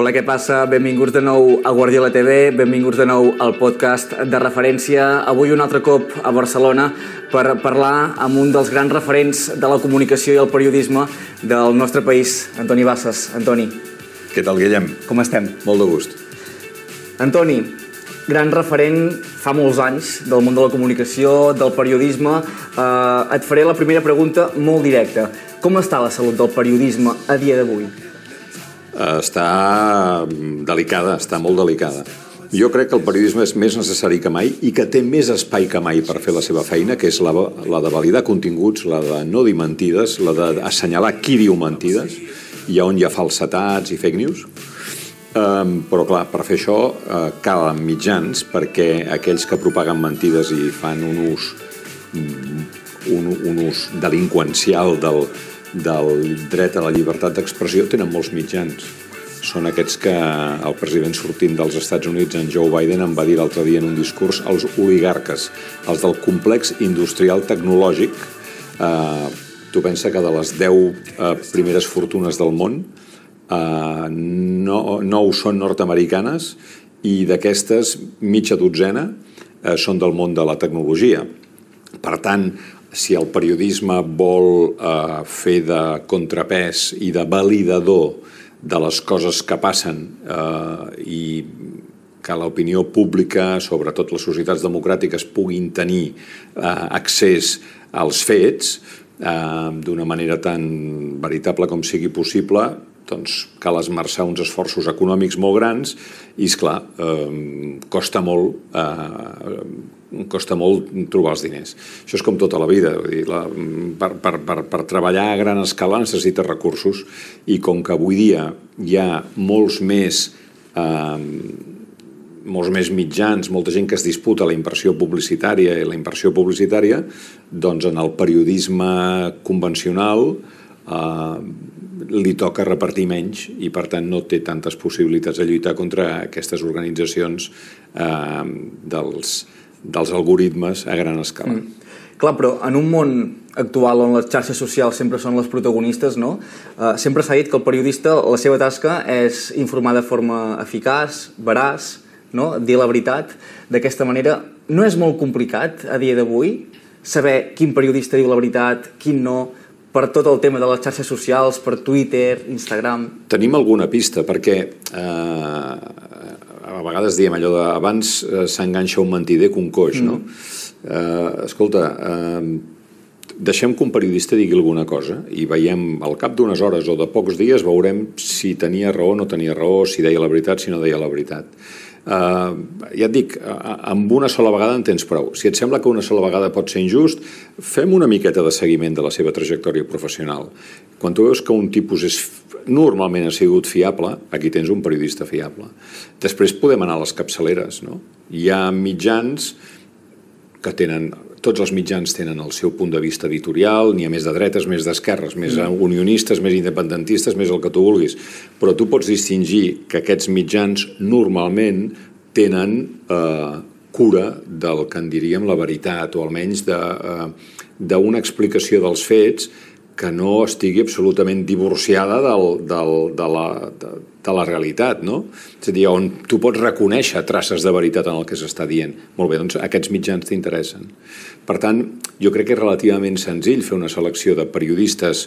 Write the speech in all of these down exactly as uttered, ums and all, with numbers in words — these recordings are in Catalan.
Hola, què passa? Benvinguts de nou a Guardiola T V, benvinguts de nou al podcast de referència. Avui un altre cop a Barcelona per parlar amb un dels grans referents de la comunicació i el periodisme del nostre país, Antoni Bassas. Antoni. Què tal, Guillem? Com estem? Molt de gust. Antoni, gran referent fa molts anys del món de la comunicació, del periodisme. Eh, et faré la primera pregunta molt directa. Com està la salut del periodisme a dia d'avui? Està delicada, està molt delicada. Jo crec que el periodisme és més necessari que mai i que té més espai que mai per fer la seva feina, que és la, la de validar continguts, la de no dir mentides, la d'assenyalar qui diu mentides i on hi ha falsetats i fake news. Um, però clar, per fer això uh, calen mitjans, perquè aquells que propaguen mentides i fan un ús, un, un ús delinqüencial del del dret a la llibertat d'expressió tenen molts mitjans. Són aquests que el president sortint dels Estats Units, en Joe Biden, em va dir l'altre dia en un discurs, els oligarques, els del complex industrial tecnològic. Eh, tu pensa que de les deu eh, primeres fortunes del món, eh, no, nou són nord-americanes i d'aquestes mitja dotzena eh, són del món de la tecnologia. Per tant, si el periodisme vol eh, fer de contrapès i de validador de les coses que passen eh, i que l'opinió pública, sobretot les societats democràtiques, puguin tenir eh, accés als fets eh, d'una manera tan veritable com sigui possible, doncs cal esmerçar uns esforços econòmics molt grans i, esclar, eh, costa molt eh, costa molt trobar els diners. Això és com tota la vida. Vull dir, la, per, per, per, per treballar a gran escala necessita recursos i com que avui dia hi ha molts més eh, molts més mitjans, molta gent que es disputa la inversió publicitària i la inversió publicitària, doncs en el periodisme convencional eh, li toca repartir menys i per tant no té tantes possibilitats de lluitar contra aquestes organitzacions eh, dels dels algoritmes a gran escala. Mm. Clar, però en un món actual on les xarxes socials sempre són les protagonistes, no? Uh, sempre s'ha dit que el periodista, la seva tasca és informar de forma eficaç, veraç, no? Dir la veritat. D'aquesta manera, no és molt complicat a dia d'avui saber quin periodista diu la veritat, quin no, per tot el tema de les xarxes socials, per Twitter, Instagram... Tenim alguna pista, perquè eh, a vegades diem allò de abans eh, s'enganxa un mentider que un coix, no? Mm. Eh, escolta, eh, deixem que un periodista digui alguna cosa i veiem al cap d'unes hores o de pocs dies veurem si tenia raó o no tenia raó, si deia la veritat, si no deia la veritat. Uh, ja et dic, amb una sola vegada en tens prou. Si et sembla que una sola vegada pot ser injust, fem una miqueta de seguiment de la seva trajectòria professional. Quan tu veus que un tipus és, normalment ha sigut fiable, aquí tens un periodista fiable. Després podem anar a les capçaleres, no? Hi ha mitjans que tenen... Tots els mitjans tenen el seu punt de vista editorial, n'hi ha més de dretes, més d'esquerres, més unionistes, més independentistes, més el que tu vulguis. Però tu pots distingir que aquests mitjans normalment tenen eh, cura del que en diríem la veritat, o almenys d'una eh, explicació dels fets que no estigui absolutament divorciada del, del, de, la, de, de la realitat, no? És a dir, on tu pots reconèixer traces de veritat en el que s'està dient. Molt bé, doncs aquests mitjans t'interessen. Per tant, jo crec que és relativament senzill fer una selecció de periodistes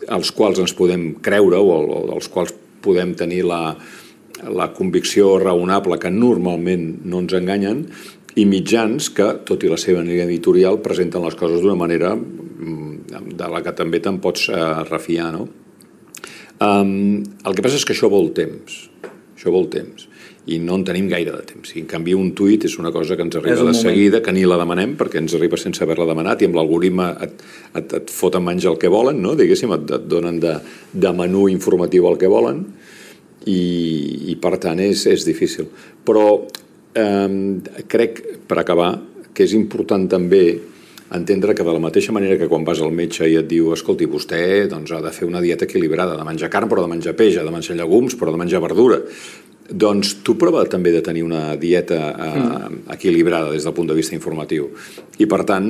als quals ens podem creure o, o als quals podem tenir la, la convicció raonable que normalment no ens enganyen i mitjans que, tot i la seva línia editorial, presenten les coses d'una manera de la que també te'n pots eh, refiar, no? Um, el que passa és que això vol temps. Això vol temps. I no en tenim gaire de temps. I en canvi un tuit és una cosa que ens arriba de seguida, que ni la demanem, perquè ens arriba sense haver-la demanat i amb l'algoritme et, et, et foten menys el que volen, no? Diguéssim, et, et donen de, de menú informatiu el que volen i, i per tant és, és difícil. Però eh, crec, per acabar, que és important també entendre que de la mateixa manera que quan vas al metge i et diu escolti, vostè doncs, ha de fer una dieta equilibrada, de menjar carn però de menjar peix, de menjar llegums però de menjar verdura, doncs tu prova també de tenir una dieta eh, equilibrada des del punt de vista informatiu. I per tant,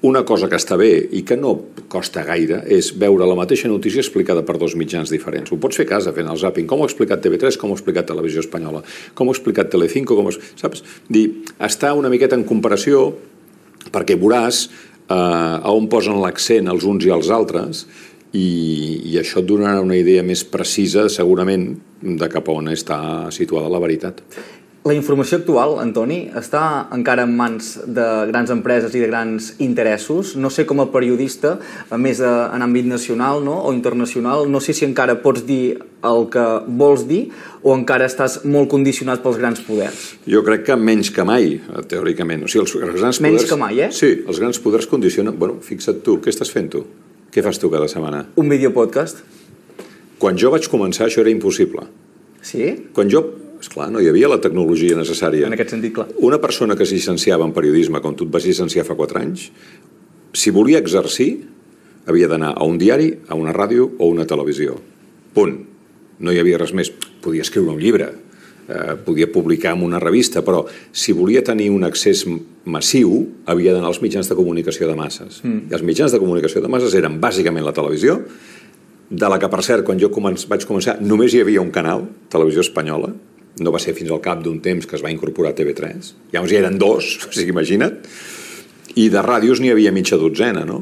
una cosa que està bé i que no costa gaire és veure la mateixa notícia explicada per dos mitjans diferents. Ho pots fer a casa fent el zapping. Com ho ha explicat T V tres, com ho ha explicat Televisió Espanyola, com ho ha explicat Telecinco, com ho... saps? Dir, està una miqueta en comparació perquè veuràs eh, a on posen l'accent els uns i els altres i, i això et donarà una idea més precisa, segurament, de cap a on està situada la veritat. La informació actual, Antoni, està encara en mans de grans empreses i de grans interessos. No sé, com a periodista, a més en àmbit nacional, no? O internacional, no sé si encara pots dir el que vols dir o encara estàs molt condicionat pels grans poders. Jo crec que menys que mai, teòricament. O sigui, els grans menys poders... que mai, eh? Sí, els grans poders condicionen... Bueno, fixa't tu, què estàs fent tu? Què fas tu cada setmana? Un videopodcast. Quan jo vaig començar, això era impossible. Sí? Quan jo... Esclar, no hi havia la tecnologia necessària. En aquest sentit, clar. Una persona que es llicenciava en periodisme, com tu et vas llicenciar fa quatre anys, si volia exercir, havia d'anar a un diari, a una ràdio o a una televisió. Punt. No hi havia res més. Podia escriure un llibre, eh, podia publicar en una revista, però si volia tenir un accés massiu, havia d'anar als mitjans de comunicació de masses. Mm. I els mitjans de comunicació de masses eren bàsicament la televisió, de la que, per cert, quan jo començ, vaig començar, només hi havia un canal, Televisió Espanyola. No va ser fins al cap d'un temps que es va incorporar T V tres. Llavors hi eren dos, o sigui, imagina't. I de ràdios n'hi havia mitja dotzena, no?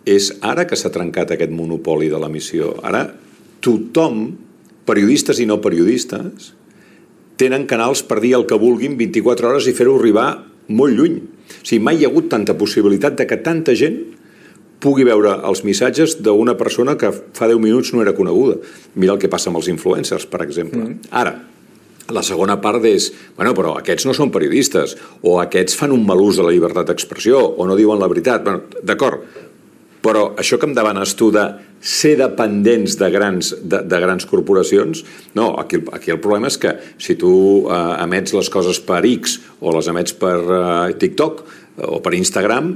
És ara que s'ha trencat aquest monopoli de l'emissió. Ara tothom, periodistes i no periodistes, tenen canals per dir el que vulguin vint-i-quatre hores i fer-ho arribar molt lluny. O sigui, mai hi ha hagut tanta possibilitat de que tanta gent pugui veure els missatges d'una persona que fa deu minuts no era coneguda. Mira el que passa amb els influencers, per exemple. Mm. Ara, la segona part és, bueno, però aquests no són periodistes, o aquests fan un mal ús de la llibertat d'expressió, o no diuen la veritat. Bueno, d'acord, però això que em demanes tu de ser dependents de grans, de, de grans corporacions, no, aquí, aquí el problema és que si tu eh, emets les coses per X o les emets per eh, TikTok o per Instagram,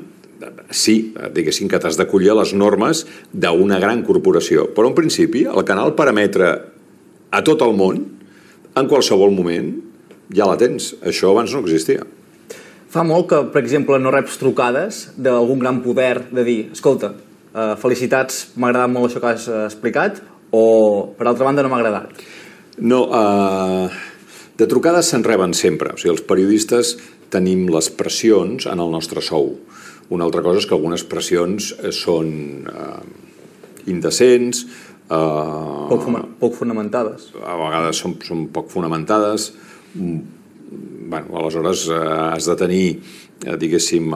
sí, diguéssim que t'has d'acollir a les normes d'una gran corporació. Però en principi el canal per emetre a tot el món, en qualsevol moment, ja la tens. Això abans no existia. Fa molt que, per exemple, no reps trucades d'algun gran poder de dir, escolta, eh, felicitats, m'ha agradat molt això que has explicat, o, per altra banda, no m'ha agradat. No, eh, de trucades se'n reben sempre. O sigui, els periodistes tenim les pressions en el nostre sou. Una altra cosa és que algunes pressions són eh, indecents, Uh, poc, poc fonamentades. A vegades són, són poc fonamentades. Bueno, aleshores eh, has de tenir, eh, diguéssim,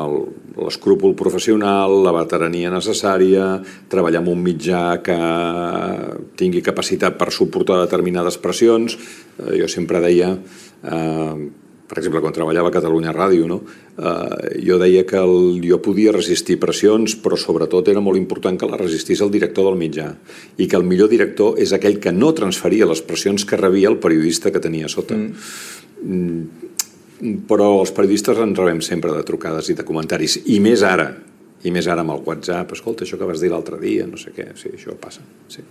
l'escrúpol professional, la veterania necessària, treballar en un mitjà que tingui capacitat per suportar determinades pressions. Eh, jo sempre deia... Eh, per exemple, quan treballava a Catalunya Ràdio, no? eh, jo deia que el, jo podia resistir pressions, però sobretot era molt important que la resistís el director del mitjà i que el millor director és aquell que no transferia les pressions que rebia el periodista que tenia sota. Mm. Però els periodistes en rebem sempre de trucades i de comentaris, i més ara, i més ara amb el WhatsApp, escolta, això que vas dir l'altre dia, no sé què, sí, això passa, sí.